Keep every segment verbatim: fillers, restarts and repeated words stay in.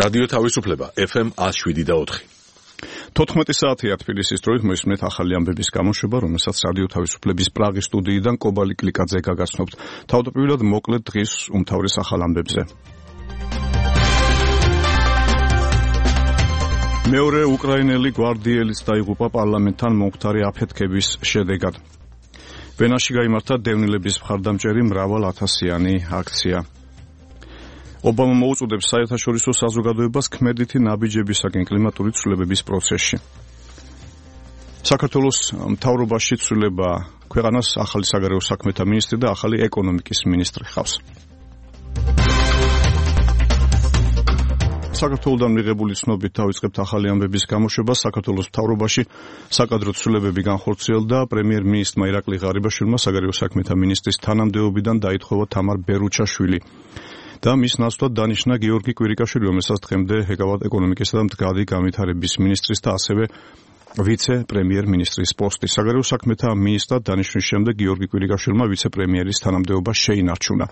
რადიო თავისუფლება ეფ ემ one oh seven და four. თოთხმეტი საათია თბილისის დროით მოისმენთ ახალი ამბების გამოშვება, რომელსაც რადიო თავისუფლების პრაღის სტუდიიდან კობალი კლიკაძე გაგაცნობთ. თავდაპირველად მოკლედ დღის უმთავრეს ახალ ამბებზე. მეორე უკრაინელი გვარდიელიც დაიღუპა პარლამენტთან მომხდარი აფეთქების შედეგად. ვენაში გაიმართა დევნილების მხარდამჭერი მრავალათასიანი აქცია. ობამა მოუწოდებს საერთაშორისო საზოგადოებას ქმედითი ნაბიჯებისაკენ კლიმატური ცვლილებების პროცესში. საქართველოს მთავრობაში ცვლილება ქვეყანას ახალი საგარეო საქმეთა მინისტრი და ახალი ეკონომიკის მინისტრი ხავს. საქართველოსთან მიღებული ცნობით დავიწყებთ ახალი ამბების გამოშვებას. საქართველოს მთავრობაში საკადრო ცვლილებები განხორციელდა. პრემიერ-მინისტრმა ირაკლი ღარიბაშვილმა საგარეო საქმეთა მინისტრის თანამდებობიდან დაითხოვა თამარ ბერუჩაშვილი და მის ნაცვლად დანიშნა გიორგი კვირიკაშვილი, რომელსაც დღემდე ეკავათ ეკონომიკისა და მდგრადი განვითარების მინისტრის და ასევე ვიცე-პრემიერ-მინისტრის პოსტი. საგარეო საქმეთა მინისტრად დანიშვნის შემდეგ გიორგი კვირიკაშვილმა ვიცე-პრემიერის თანამდებობა შეინარჩუნა.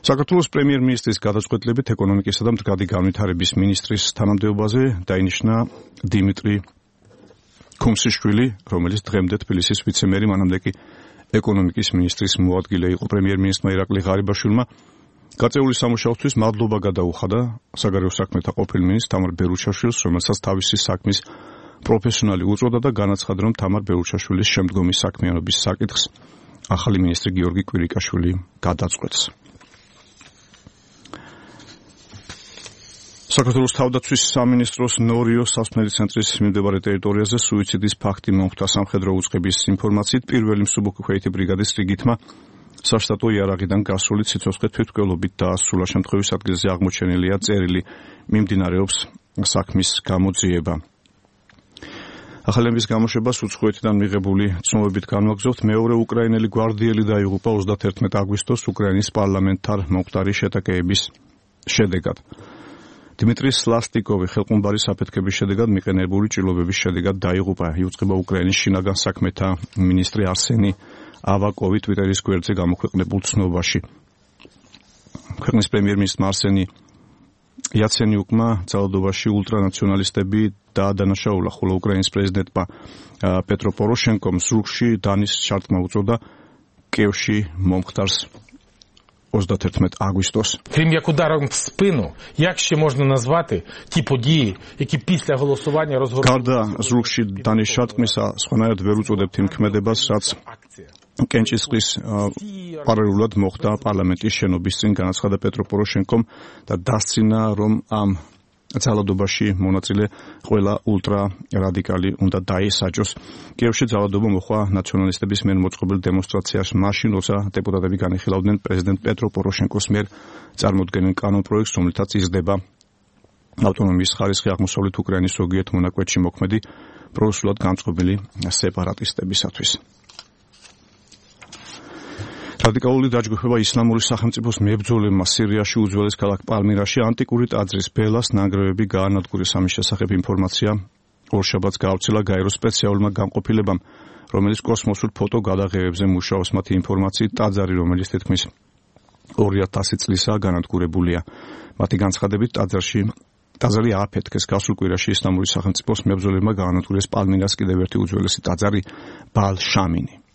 საქართველოს პრემიერ-მინისტრის გადაწყვეტილებით ეკონომიკისა და მდგრადი განვითარების მინისტრის თანამდებობაზე დაინიშნა დიმიტრი ქუმსიშვილი, რომელიც დღემდე თბილისის ვიცე-მერი, მანამდე კი ეკონომიკის მინისტრის მოადგილე იყო. პრემიერ-მინისტრმა ირაკლი ღარიბაშვილმა გაწეული სამუშაოსთვის მადლობა გადაუხადა საგარეო საქმეთა ყოფილ მინისტრ თამარ ბერუჩაშვილს, რომელსაც თავისი საქმის პროფესიონალი უწოდა და განაცხადა, რომ თამარ ბერუჩაშვილის შემდგომი საქმიანობის საკითხს ახალი მინისტრი გიორგი კვირიკაშვილი გადაწყვეტს. საქართველოს თავდაცვის სამინისტროს ნორიოს სასმელი ცენტრის მიმდებარე ტერიტორიაზე სუიციდის ფაქტი მომხდა. სამხედრო უწყების ინფორმაციით პირველი მსუბუქი ბრიგადის რიგითმა საშტატო იარაღიდან გასული ციცოცხლე თვითმკვლელობით დაასრულა. შემთხვევის ადგილზე აღმოჩენილია წერილი, მიმდინარეობს საქმის გამოძიება. ახალი ამბების გამოშვებას უცხოეთიდან მიღებული ცნობებით განვაგრძობთ. მეორე უკრაინელი გვარდიელი დაიღუპა ოცდაათერთმეტი აგვისტოს უკრაინის პარლამენტთან მომხდარი შეტაკების შედეგად. დიმიტრი სლასტიკოვი ხელყუმბარის აფეთქების შედეგად მიყენებული ჭრილობების შედეგად დაიღუპა. იუწყება უკრაინის შინაგან საქმეთა მინისტრი არსენი ავაკოვი ტვიტერის გვერდზე გამოქვეყნებულ ცნობაში. ქვეყნის პრემიერ-მინისტრმა არსენი იაცენიუკმა ძალადობაში ულტრანაციონალისტები დაადანაშაულა, ხოლო უკრაინის პრეზიდენტმა პეტრო პოროშენკომ ზურგში დანის შარტმა უწოდა კიევში მომხდარს ოცდაათერთმეტი აგვისტოს. Крім як ударом в спину, як ще можна назвати ті події, які після голосування розгорнулися? გარდა ზურგში დანის შარტყმისა, სხვანაირად ვერ უწოდებთ იმ ქმედებას, რაც კენჭისყრის პარალელურად მოხდა პარლამენტის შენობის წინ, განაცხადა პეტრო პოროშენკომ და დასცინა, რომ ამ ძალადობაში მონაწილე ყველა ულტრა რადიკალი უნდა დაესაჯოს. კიევში ძალადობა მოხდა ნაციონალისტების მიერ მოწყობილ დემონსტრაციაში, მაშინ როცა დეპუტატები განიხილავდნენ პრეზიდენტ პეტრო პოროშენკოს მიერ წარმოდგენილ კანონპროექტს, რომლითაც იზრდება ავტონომიის ხარისხი აღმოსავლეთ უკრაინის ზოგიერთ მონაკვეთში მოქმედი პრორუსულად განწყობილი სეპარატისტებისათვის. რადიკალური დაჯგუფება ისლამური სახელმწიფოს მებრძოლებმა სირიაში უძველეს ქალაქ პალმირაში ანტიკური ტაძრის ბელას ნანგრევები გაანადგურეს. ამის შესახებ ინფორმაცია ორშაბათს გაავრცელა გაეროს სპეციალურმა განყოფილებამ, რომელიც კოსმოსურ ფოტო გადაღებებზე მუშაობს. მათი ინფორმაციით ტაძარი, რომელიც თითქმის ორი ათასი წლისაა განადგურებულია. მათი განცხადებით ტაძარში ტაძარი ააფეთქეს. გასულ კვირაში ისლამური სახელმწიფოს მებრძოლებმა გაანადგურეს პალმირას კიდევ ერთი უძველესი ტაძარი ბალ-შამინი.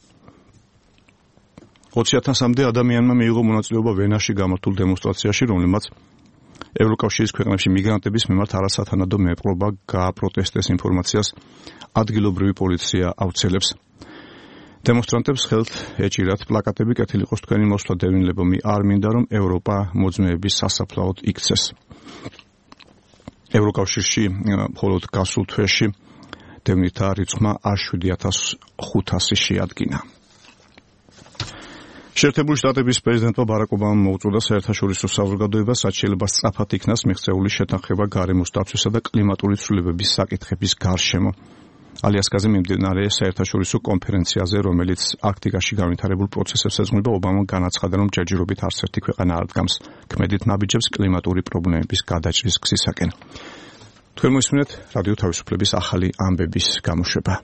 ოცი ათასამდე ადამიანმა მიიღო მონაწილეობა ვენაში გამართულ დემონსტრაციაში, რომელმაც ევროკავშირის ქვეყნებში მიგრანტების მიმართ არასათანადო მეპყრობა გააპროტესტეს. ინფორმაციას ადგილობრივი პოლიცია აუცილებს. დემონსტრანტებს ხელთ ეჭირათ პლაკატები, კეთილი იყოს თქვენი მოსვლა დევნილებომი, არ მინდა რომ ევროპა მოძმეების სასაფლაოდ იქცეს. ევროკავშირში მხოლოდ გასულ თვეში დევნილთა რიცხვმა შვიდი ათას ხუთასი შეადგინა. შეერთებული შტატების პრეზიდენტმა ბარაკ ობამამ მოუწოდა საერთაშორისო საზოგადოებას, რაც შეიძლება სწრაფად იქნას მიღწეული შეთანხმება გარემოს დაცვისა და კლიმატური ცვლილებების საკითხების გარშემო. ალიასკაზე მიმდინარე საერთაშორისო კონფერენციაზე, რომელიც არქტიკაში განვითარებულ პროცესებს ეძღვნება, ობამამ განაცხადა, რომ ჯერჯერობით არც ერთი ქვეყანა არ დგამს ქმედით ნაბიჯებს კლიმატური პრობლემების გადაჭრის გზისაკენ. თქვენ მოისმინეთ რადიო თავისუფლების ახალი ამბების გამოშვება.